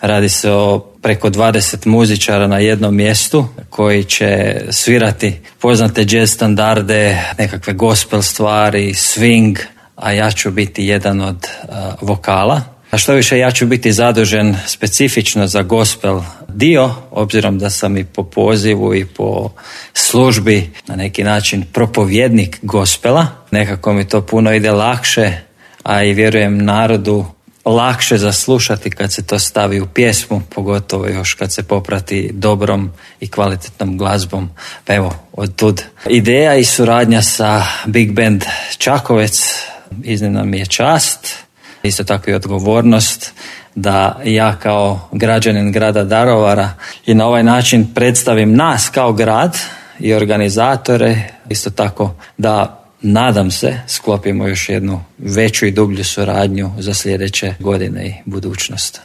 Radi se o preko 20 muzičara na jednom mjestu koji će svirati poznate jazz standarde, nekakve gospel stvari, swing, a ja ću biti jedan od vokala. A što više, ja ću biti zadužen specifično za gospel dio, obzirom da sam i po pozivu i po službi na neki način propovjednik gospela. Nekako mi to puno ide lakše, a i vjerujem narodu lakše zaslušati kad se to stavi u pjesmu, pogotovo još kad se poprati dobrom i kvalitetnom glazbom. Pa evo, odtud ideja i suradnja sa Big Band Čakovec iznimna mi je čast, isto tako i odgovornost da ja kao građanin grada Daruvara i na ovaj način predstavim nas kao grad i organizatore, isto tako da nadam se sklopimo još jednu veću i dublju suradnju za sljedeće godine i budućnost.